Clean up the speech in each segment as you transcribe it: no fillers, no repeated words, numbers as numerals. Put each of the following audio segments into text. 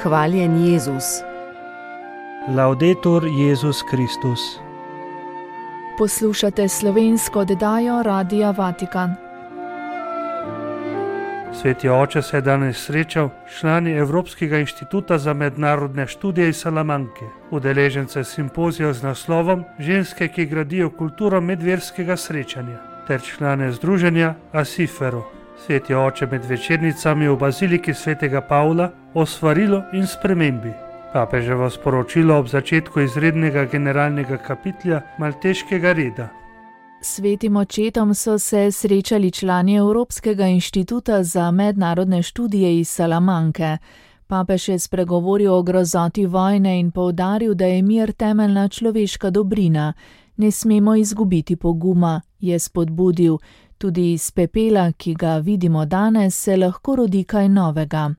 Hvaljen Jezus. Laudetur Jezus Kristus. Poslušate slovensko oddajo Radia Vatikan. Sveti oče se je danes srečal s člani Evropskega inštituta za mednarodne študije iz Salamanke, udeležence simpozija z naslovom Ženske, ki gradijo kulturo medverskega srečanja, ter člane združenja Asifero. Sveti oče med večernicami v baziliki svetega Pavla o svarilu in spremembi. Papeževo sporočilo ob začetku izrednega generalnega kapitlja Malteškega reda. Svetim očetom so se srečali člani Evropskega inštituta za mednarodne študije iz Salamanke. Papež je spregovoril o grozoti vojne in poudaril, da je mir temeljna človeška dobrina. Ne smemo izgubiti poguma, je spodbudil. Tudi iz pepela, ki ga vidimo danes, se lahko rodi kaj novega.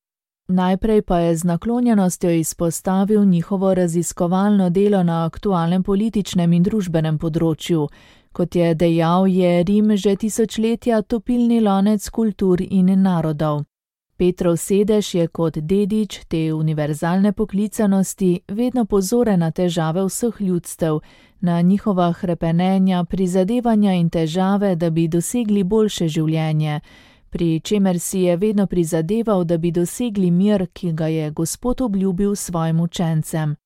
Najprej pa je z naklonjenostjo izpostavil njihovo raziskovalno delo na aktualnem političnem in družbenem področju. Kot je dejal, je Rim že tisočletja topilni lonec kultur in narodov. Petrov sedež je kot dedič te univerzalne poklicanosti vedno pozoren na težave vseh ljudstev, na njihova hrepenenja, prizadevanja in težave, da bi dosegli boljše življenje, pri čemer si je vedno prizadeval, da bi dosegli mir, ki ga je Gospod obljubil svojim učencem.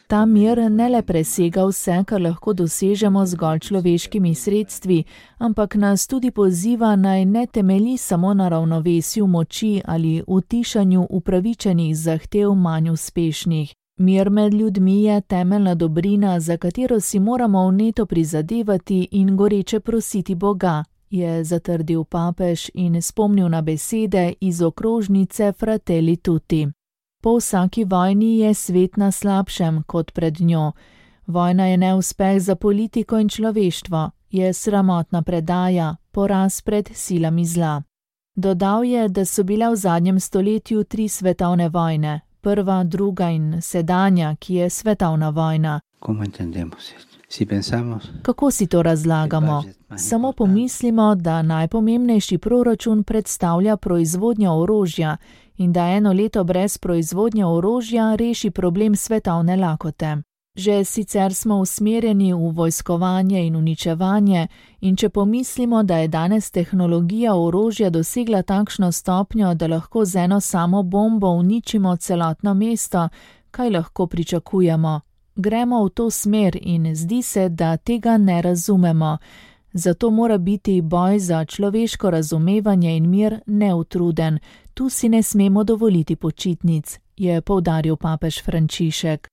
Ta mir ne le presega vse, kar lahko dosežemo zgolj človeškimi sredstvi, ampak nas tudi poziva, naj ne temelji samo na ravnovesju moči ali utišanju upravičenih zahtev manj uspešnih. Mir med ljudmi je temeljna dobrina, za katero si moramo vneto prizadevati in goreče prositi Boga, je zatrdil papež in spomnil na besede iz okrožnice Fratelli Tutti. Po vsaki vojni je svet na slabšem kot pred njo. Vojna je neuspeh za politiko in človeštvo, je sramotna predaja, poraz pred silami zla. Dodal je, da so bile v zadnjem stoletju 3 svetovne vojne, prva, druga in sedanja, ki je svetovna vojna. Kako si to razlagamo? Samo pomislimo, da najpomembnejši proračun predstavlja proizvodnjo orožja in da eno leto brez proizvodnje orožja reši problem svetovne lakote. Že sicer smo usmerjeni v vojskovanje in uničevanje in če pomislimo, da je danes tehnologija orožja dosegla takšno stopnjo, da lahko z eno samo bombo uničimo celotno mesto, kaj lahko pričakujemo? Gremo v to smer in zdi se, da tega ne razumemo. Zato mora biti boj za človeško razumevanje in mir neutruden. Tu si ne smemo dovoliti počitnic, je poudaril papež Frančišek.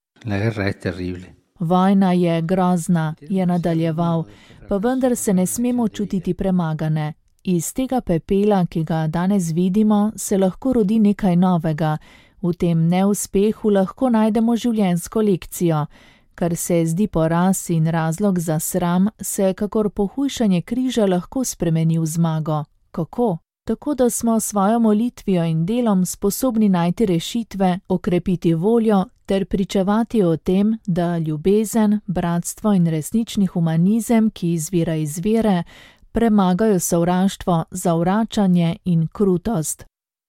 Vojna je grozna, je nadaljeval, pa vendar se ne smemo čutiti premagane. Iz tega pepela, ki ga danes vidimo, se lahko rodi nekaj novega. V tem neuspehu lahko najdemo življenjsko lekcijo. Kar se zdi poraz in razlog za sram, se kakor pohujšanje križa lahko spremeni v zmago. Kako? Tako, da smo svojo molitvijo in delom sposobni najti rešitve, okrepiti voljo ter pričevati o tem, da ljubezen, bratstvo in resnični humanizem, ki izvira iz vere, premagajo sovraštvo, zavračanje in krutost.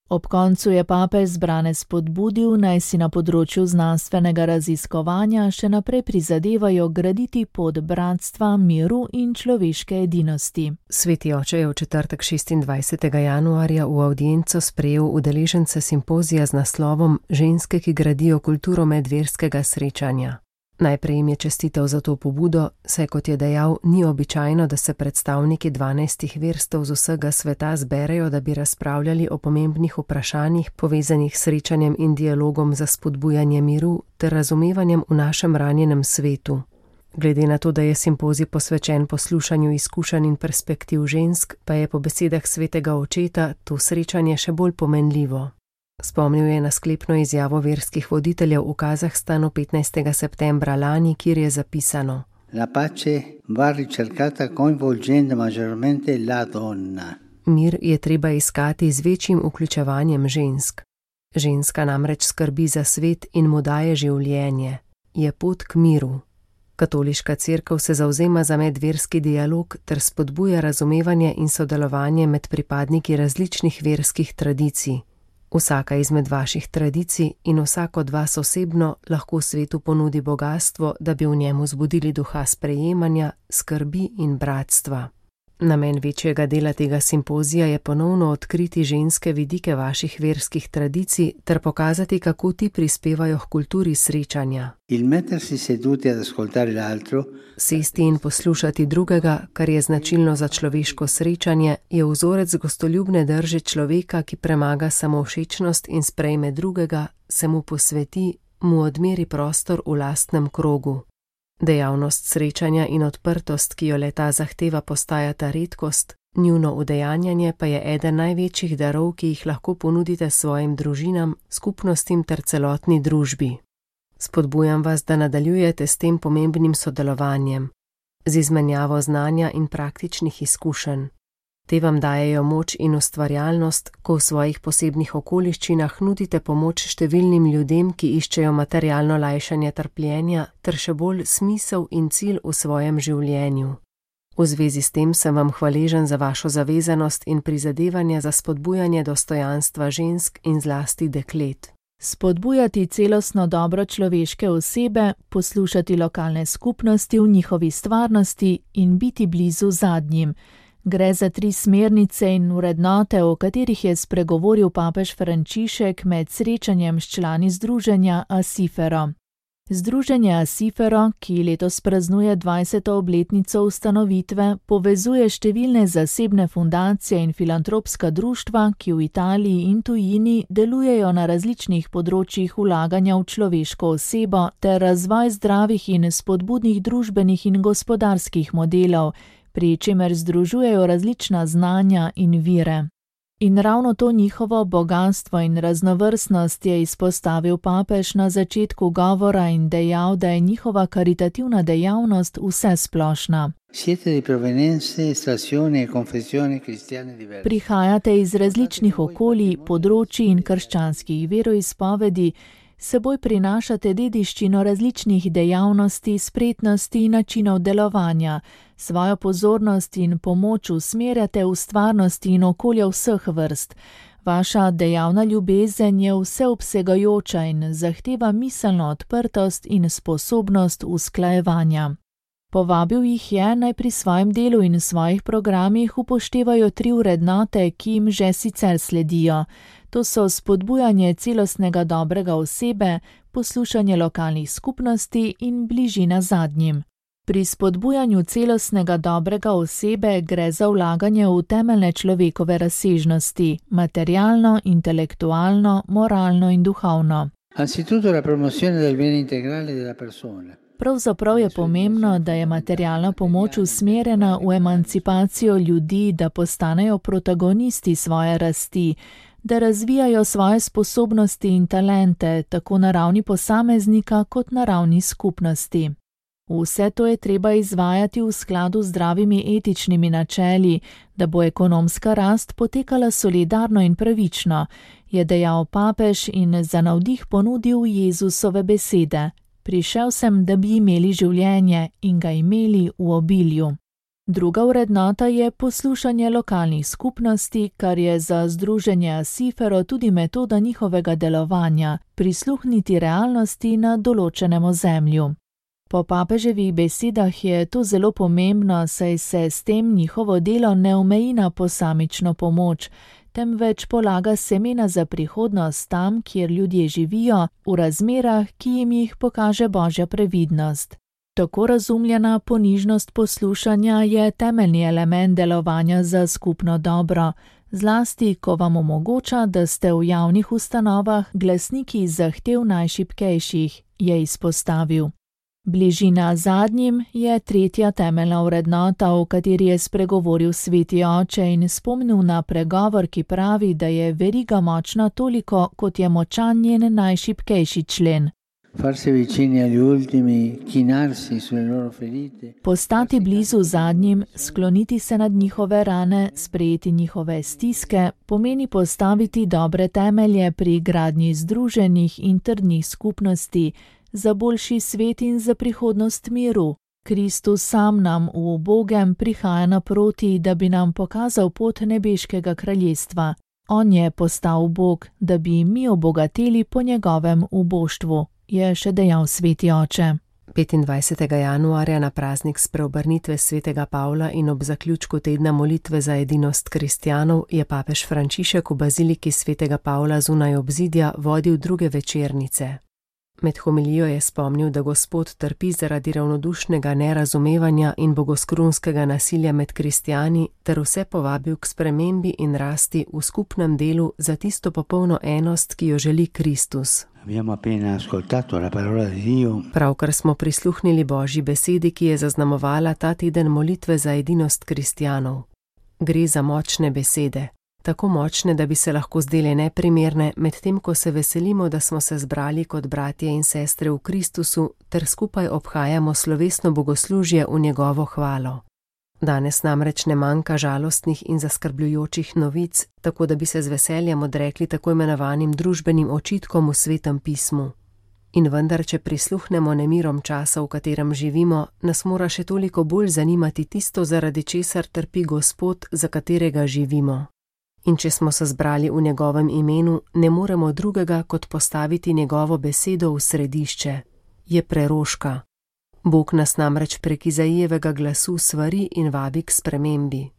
Ob koncu je papež zbrane spodbudil, naj si na področju znanstvenega raziskovanja še naprej prizadevajo graditi pot bratstva, miru in človeške edinosti. Sveti oče je v četrtek 26. januarja v avdienco sprejel udeležence simpozija z naslovom Ženske, ki gradijo kulturo medverskega srečanja. Najprej jim je čestital za to pobudo, saj kot je dejal, ni običajno, da se predstavniki 12 verstev z vsega sveta zberejo, da bi razpravljali o pomembnih vprašanjih povezanih s srečanjem in dialogom za spodbujanje miru ter razumevanjem v našem ranjenem svetu. Glede na to, da je simpozij posvečen poslušanju izkušenj in perspektiv žensk, pa je po besedah svetega očeta to srečanje še bolj pomenljivo. Spomnil je na sklepno izjavo verskih voditeljev v Kazahstanu 15. septembra lani, kjer je zapisano: La pace va ricercata coinvolgendo maggiormente la donna. Mir je treba iskati z večjim vključevanjem žensk. Ženska namreč skrbi za svet in mu daje življenje. Je pot k miru. Katoliška cerkev se zavzema za medverski dialog ter spodbuja razumevanje in sodelovanje med pripadniki različnih verskih tradicij. Vsaka izmed vaših tradicij in vsak od vas osebno lahko svetu ponudi bogastvo, da bi v njemu zbudili duha sprejemanja, skrbi in bratstva. Namen večjega dela tega simpozija je ponovno odkriti ženske vidike vaših verskih tradicij ter pokazati, kako ti prispevajo k kulturi srečanja. Sesti in poslušati drugega, kar je značilno za človeško srečanje, je vzorec gostoljubne drže človeka, ki premaga samovšečnost in sprejme drugega, se mu posveti, mu odmeri prostor v lastnem krogu. Dejavnost srečanja in odprtost, ki jo le-ta zahteva, postajata redkost, njuno udejanjanje pa je eden največjih darov, ki jih lahko ponudite svojim družinam, skupnostim ter celotni družbi. Spodbujam vas, da nadaljujete s tem pomembnim sodelovanjem, z izmenjavo znanja in praktičnih izkušenj. Te vam dajejo moč in ustvarjalnost, ko v svojih posebnih okoliščinah nudite pomoč številnim ljudem, ki iščejo materialno lajšanje trpljenja ter še bolj smisel in cilj v svojem življenju. V zvezi s tem sem vam hvaležen za vašo zavezanost in prizadevanje za spodbujanje dostojanstva žensk in zlasti deklet. Spodbujati celostno dobro človeške osebe, poslušati lokalne skupnosti v njihovi stvarnosti in biti blizu zadnjim. Gre za 3 smernice in vrednote, o katerih je spregovoril papež Frančišek med srečanjem s člani združenja Acifero. Združenje Acifero, ki letos praznuje 20. obletnico ustanovitve, povezuje številne zasebne fundacije in filantropska društva, ki v Italiji in tujini delujejo na različnih področjih vlaganja v človeško osebo ter razvoj zdravih in spodbudnih družbenih in gospodarskih modelov, pri čemer združujejo različna znanja in vire. In ravno to njihovo bogastvo in raznovrstnost je izpostavil papež na začetku govora in dejal, da je njihova karitativna dejavnost vsesplošna. Prihajate iz različnih okolij, področij in krščanskih veroizpovedi, seboj prinašate dediščino različnih dejavnosti, spretnosti in načinov delovanja, svojo pozornost in pomoč usmerjate v stvarnosti in okolja vseh vrst. Vaša dejavna ljubezen je vseobsegajoča in zahteva miselno odprtost in sposobnost usklajevanja. Povabil jih je, naj pri svojem delu in svojih programih upoštevajo 3 vrednote, ki jim že sicer sledijo. To so spodbujanje celostnega dobrega osebe, poslušanje lokalnih skupnosti in bližina zadnjim. Pri spodbujanju celostnega dobrega osebe gre za vlaganje v temeljne človekove razsežnosti, materialno, intelektualno, moralno in duhovno. Pravzaprav je pomembno, da je materialna pomoč usmerjena v emancipacijo ljudi, da postanejo protagonisti svoje rasti, da razvijajo svoje sposobnosti in talente, tako na ravni posameznika kot na ravni skupnosti. Vse to je treba izvajati v skladu z zdravimi etičnimi načeli, da bo ekonomska rast potekala solidarno in pravično, je dejal papež in za navdih ponudil Jezusove besede. Prišel sem, da bi imeli življenje in ga imeli v obilju. Druga vrednota je poslušanje lokalnih skupnosti, kar je za združenje Acifero tudi metoda njihovega delovanja, prisluhniti realnosti na določenem ozemlju. Po papeževih besedah je to zelo pomembno, saj se s tem njihovo delo ne omeji na posamično pomoč, temveč polaga semena za prihodnost tam, kjer ljudje živijo, v razmerah, ki jim jih pokaže Božja previdnost. Tako razumljena ponižnost poslušanja je temeljni element delovanja za skupno dobro, zlasti, ko vam omogoča, da ste v javnih ustanovah glasniki zahtev najšibkejših, je izpostavil. Bližina zadnjim je tretja temeljna vrednota, o kateri je spregovoril sveti oče in spomnil na pregovor, ki pravi, da je veriga močna toliko, kot je močan njen najšibkejši člen. Postati blizu zadnjim, skloniti se nad njihove rane, sprejeti njihove stiske, pomeni postaviti dobre temelje pri gradnji združenih in trdnih skupnosti, za boljši svet in za prihodnost miru. Kristus sam nam v ubogem prihaja naproti, da bi nam pokazal pot nebeškega kraljestva. On je postal Bog, da bi mi obogateli po njegovem uboštvu, je še dejal sveti oče. 25. januarja na praznik spreobrnitve svetega Pavla in ob zaključku tedna molitve za edinost kristjanov je papež Frančišek v baziliki svetega Pavla zunaj obzidja vodil druge večernice. Med homilijo je spomnil, da Gospod trpi zaradi ravnodušnega nerazumevanja in bogoskrunskega nasilja med kristjani ter vse povabil k spremembi in rasti v skupnem delu za tisto popolno enost, ki jo želi Kristus. Pravkar smo prisluhnili Božji besedi, ki je zaznamovala ta teden molitve za edinost kristjanov. Gre za močne besede. Tako močne, da bi se lahko zdele neprimerne, medtem ko se veselimo, da smo se zbrali kot bratje in sestre v Kristusu ter skupaj obhajamo slovesno bogoslužje v njegovo hvalo. Danes namreč ne manjka žalostnih in zaskrbljujočih novic, tako da bi se z veseljem odrekli tako imenovanim družbenim očitkom v Svetem pismu. In vendar, če prisluhnemo nemirom časa, v katerem živimo, nas mora še toliko bolj zanimati tisto, zaradi česar trpi Gospod, za katerega živimo. In če smo se zbrali v njegovem imenu, ne moremo drugega, kot postaviti njegovo besedo v središče. Je preroška. Bog nas namreč prek Izaijevega glasu svari in vabi k spremembi.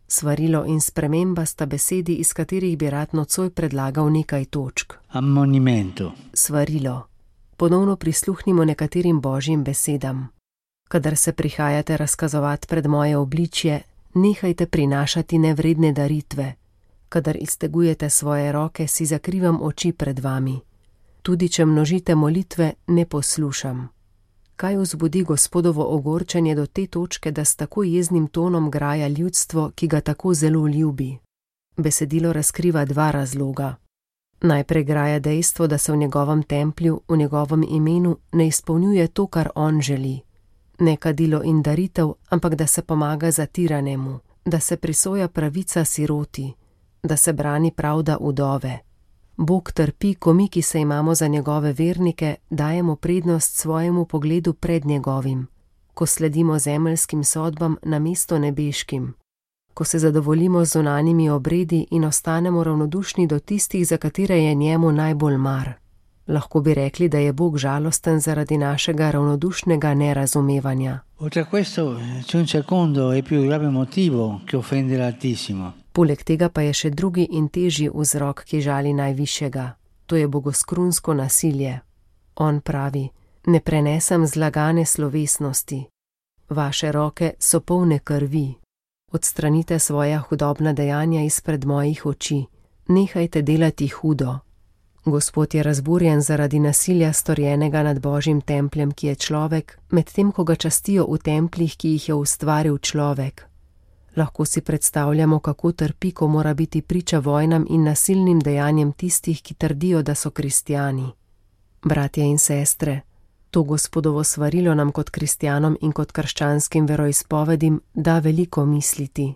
Svarilo in sprememba sta besedi, iz katerih bi rad nocoj predlagal nekaj točk. Ammonimento. Svarilo. Ponovno prisluhnimo nekaterim Božjim besedam. Kadar se prihajate razkazovati pred moje obličje, nehajte prinašati nevredne daritve. Kadar iztegujete svoje roke, si zakrivam oči pred vami. Tudi če množite molitve, ne poslušam. Kaj vzbudi Gospodovo ogorčenje do te točke, da s tako jeznim tonom graja ljudstvo, ki ga tako zelo ljubi? Besedilo razkriva dva razloga. Najprej graja dejstvo, da se v njegovem templju, v njegovem imenu ne izpolnjuje to, kar on želi. Ne kadilo in daritev, ampak da se pomaga zatiranemu, da se prisoja pravica siroti, da se brani pravda vdove. Bog trpi, ko mi, ki se imamo za njegove vernike, dajemo prednost svojemu pogledu pred njegovim, ko sledimo zemeljskim sodbam namesto nebeškim, ko se zadovoljimo z zunanjimi obredi in ostanemo ravnodušni do tistih, za katere je njemu najbolj mar. Lahko bi rekli, da je Bog žalosten zaradi našega ravnodušnega nerazumevanja. Poleg tega pa je še drugi in težji vzrok, ki žali najvišjega. To je bogoskrunsko nasilje. On pravi: ne prenesem zlagane slovesnosti. Vaše roke so polne krvi. Odstranite svoja hudobna dejanja izpred mojih oči. Nehajte delati hudo. Gospod je razburjen zaradi nasilja storjenega nad Božjim templjem, ki je človek, medtem ko ga častijo v templih, ki jih je ustvaril človek. Lahko si predstavljamo, kako trpi, ko mora biti priča vojnam in nasilnim dejanjem tistih, ki trdijo, da so kristjani. Bratje in sestre, to Gospodovo svarilo nam kot kristjanom in kot krščanskim veroizpovedim da veliko misliti.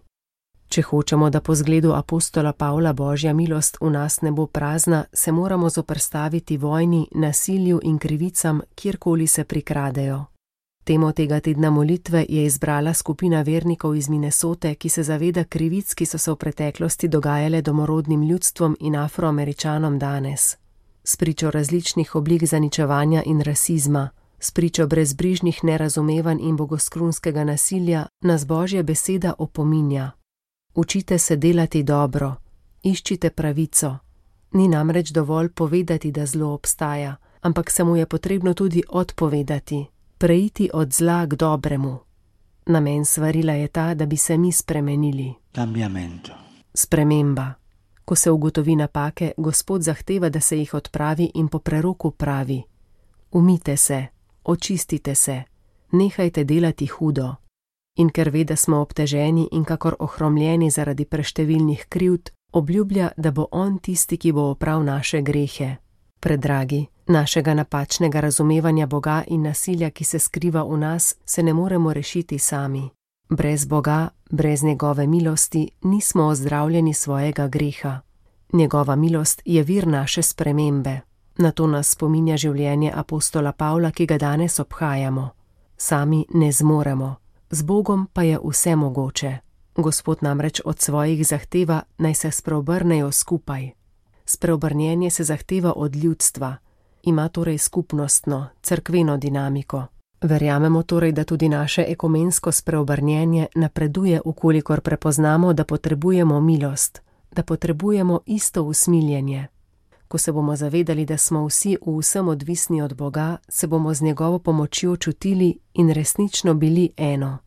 Če hočemo, da po zgledu apostola Pavla Božja milost v nas ne bo prazna, se moramo zoperstaviti vojni, nasilju in krivicam, kjerkoli se prikradejo. Temo tega tedna molitve je izbrala skupina vernikov iz Minnesote, ki se zaveda krivic, ki so se v preteklosti dogajale domorodnim ljudstvom in Afroameričanom danes. Spričo različnih oblik zaničevanja in rasizma, spričo brezbrižnih nerazumevanj in bogoskrunskega nasilja, nas Božja beseda opominja. Učite se delati dobro, iščite pravico. Ni namreč dovolj povedati, da zlo obstaja, ampak se mu je potrebno tudi odpovedati. Preiti od zla k dobremu. Namen svarila je ta, da bi se mi spremenili. Cambiamento. Sprememba. Ko se ugotovi napake, Gospod zahteva, da se jih odpravi in po preroku pravi: umite se, očistite se, nehajte delati hudo. In ker ve, da smo obteženi in kakor ohromljeni zaradi preštevilnih krivd, obljublja, da bo on tisti, ki bo opral naše grehe. Predragi, našega napačnega razumevanja Boga in nasilja, ki se skriva v nas, se ne moremo rešiti sami. Brez Boga, brez njegove milosti, nismo ozdravljeni svojega greha. Njegova milost je vir naše spremembe. Na to nas spominja življenje apostola Pavla, ki ga danes obhajamo. Sami ne zmoremo, z Bogom pa je vse mogoče. Gospod namreč od svojih zahteva, naj se spreobrnejo skupaj. Spreobrnjenje se zahteva od ljudstva, ima torej skupnostno, cerkveno dinamiko. Verjamemo torej, da tudi naše ekumensko spreobrnjenje napreduje, ukolikor prepoznamo, da potrebujemo milost, da potrebujemo isto usmiljenje. Ko se bomo zavedali, da smo vsi v vsem odvisni od Boga, se bomo z njegovo pomočjo čutili in resnično bili eno.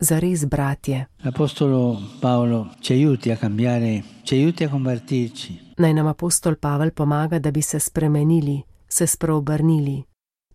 Zares bratje. Apostolo Paolo ci aiuti a cambiare, ci aiuti a convertirci. Naj nam apostol Pavel pomaga, da bi se spremenili, se spreobrnili.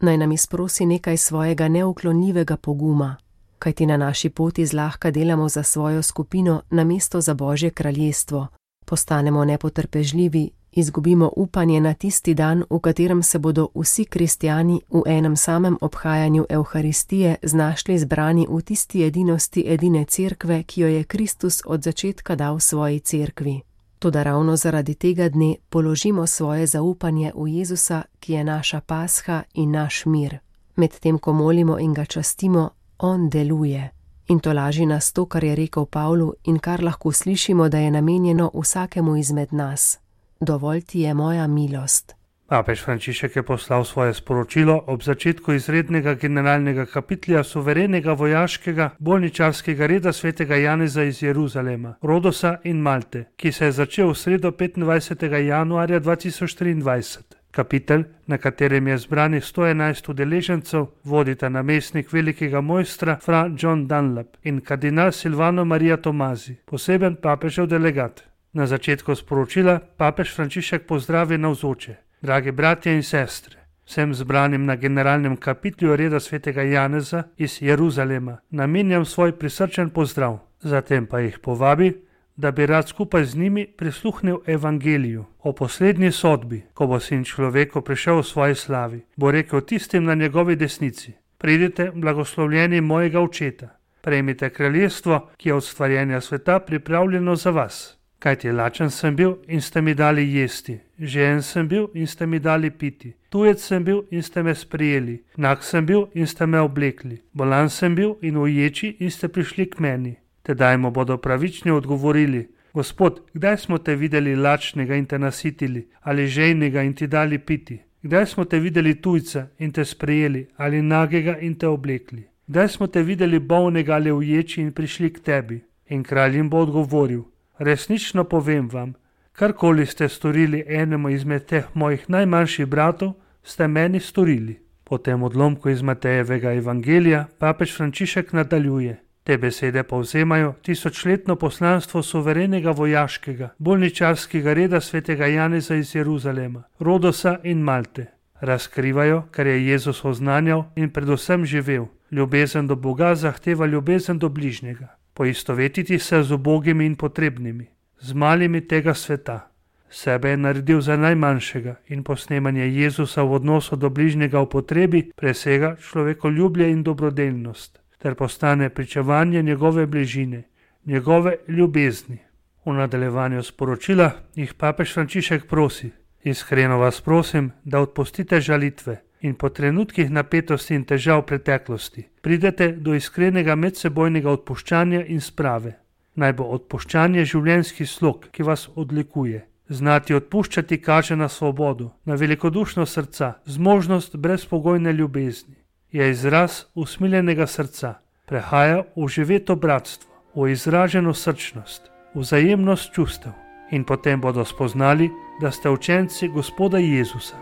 Naj nam izprosi nekaj svojega neuklonljivega poguma, kajti na naši poti zlahka delamo za svojo skupino namesto za Božje kraljestvo. Postanemo nepotrpežljivi, izgubimo upanje na tisti dan, v katerem se bodo vsi kristjani v enem samem obhajanju Evharistije znašli zbrani v tisti edinosti edine cerkve, ki jo je Kristus od začetka dal svoji cerkvi. Toda ravno zaradi tega dne položimo svoje zaupanje v Jezusa, ki je naša pasha in naš mir. Medtem ko molimo in ga častimo, on deluje. In to laži nas to, kar je rekel Pavlu in kar lahko slišimo, da je namenjeno vsakemu izmed nas. Dovolj ti je moja milost. Papež Frančišek je poslal svoje sporočilo ob začetku izrednega generalnega kapitlja suverenega vojaškega bolničarskega reda svetega Janeza iz Jeruzalema, Rodosa in Malte, ki se je začel v sredo 25. januarja 2023. Kapitel, na katerem je zbranih 111 udeležencev, vodita namestnik velikega mojstra fra John Dunlap in kardinal Silvano Maria Tomazi, poseben papežev delegat. Na začetku sporočila papež Frančišek pozdravi navzoče. Dragi bratje in sestre, vsem zbranim na generalnem kapitlju reda svetega Janeza iz Jeruzalema namenjam svoj prisrčen pozdrav. Zatem pa jih povabi, da bi rad skupaj z njimi prisluhnil evangeliju o poslednji sodbi, ko bo sin človeku prišel v svoji slavi, bo rekel tistim na njegovi desnici: pridite, blagoslovljeni mojega očeta, prejmite kraljestvo, ki je od stvarjenja sveta pripravljeno za vas. Kajti lačen sem bil in ste mi dali jesti, žejen sem bil in ste mi dali piti, tujec sem bil in ste me sprejeli, nag sem bil in ste me oblekli, bolan sem bil in uječi in ste prišli k meni. Tedaj mu bodo pravični odgovorili: Gospod, kdaj smo te videli lačnega in te nasitili, ali žejnega in ti dali piti? Kdaj smo te videli tujca in te sprejeli, ali nagega in te oblekli? Kdaj smo te videli bolnega ali uječi in prišli k tebi? In kralj jim bo odgovoril: resnično povem vam, karkoli ste storili enemu izmed teh mojih najmanjših bratov, ste meni storili. Po tem odlomku iz Matejevega evangelija papež Frančišek nadaljuje. Te besede povzemajo tisočletno poslanstvo suverenega vojaškega, bolničarskega reda svetega Janeza iz Jeruzalema, Rodosa in Malte. Razkrivajo, kar je Jezus oznanjal in predvsem živel. Ljubezen do Boga zahteva ljubezen do bližnjega. Poistovetiti se z ubogimi in potrebnimi, z malimi tega sveta. Sebe je naredil za najmanjšega in posnemanje Jezusa v odnosu do bližnjega v potrebi presega človekoljubje in dobrodelnost, ter postane pričevanje njegove bližine, njegove ljubezni. V nadaljevanju sporočila jih papež Frančišek prosi: iskreno vas prosim, da odpustite žalitve in po trenutkih napetosti in težav preteklosti pridete do iskrenega medsebojnega odpuščanja in sprave. Naj bo odpuščanje življenjski slog, ki vas odlikuje. Znati odpuščati kaže na svobodo, na velikodušnost srca, zmožnost brezpogojne ljubezni. Je izraz usmiljenega srca, prehaja v živeto bratstvo, v izraženo srčnost, vzajemnost čustev. In potem bodo spoznali, da ste učenci Gospoda Jezusa.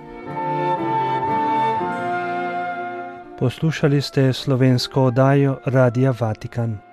Poslušali ste slovensko oddajo Radia Vatikan.